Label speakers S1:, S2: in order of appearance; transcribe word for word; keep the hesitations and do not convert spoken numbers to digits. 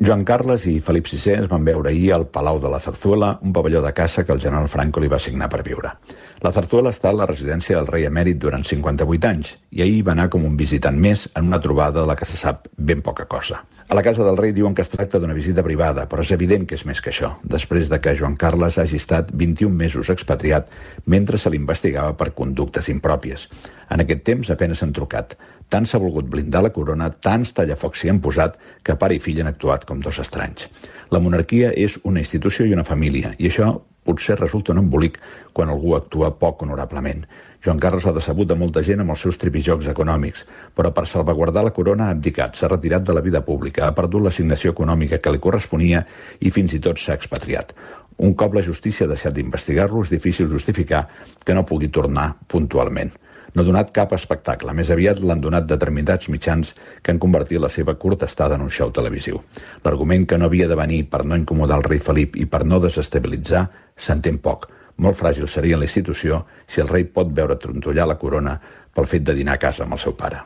S1: Joan Carles i Felip sisè es van veure ahir al Palau de la Zarzuela, un pavelló de caça que el general Franco li va assignar per viure. La Zarzuela està a la residència del rei emèrit durant cinquanta-vuit anys i ahir va anar com un visitant més en una trobada de la que se sap ben poca cosa. A la casa del rei diuen que es tracta d'una visita privada, però és evident que és més que això, després de que Joan Carles hagi estat vint-i-un mesos expatriat mentre se l'investigava per conductes impròpies. En aquest temps apenas s'han trucat. Tant s'ha volgut blindar la corona, tants tallafocs s'hi han posat, que pare i fill han actuat com dos estranys. La monarquia és una institució i una família, i això potser resulta un embolic quan algú actua poc honorablement. Joan Carles ha decebut de molta gent amb els seus tripijocs econòmics, però per salvaguardar la corona ha abdicat, s'ha retirat de la vida pública, ha perdut l'assignació econòmica que li corresponia i fins i tot s'ha expatriat. Un cop la justícia ha deixat d'investigar-lo, és difícil justificar que no pugui tornar puntualment. No ha donat cap espectacle, més aviat l'han donat determinats mitjans que han convertit la seva curta estada en un show televisiu. L'argument que no havia de venir per no incomodar el rei Felip i per no desestabilitzar s'entén poc. Molt fràgil seria la institució si el rei pot veure trontollar la corona pel fet de dinar a casa amb el seu pare.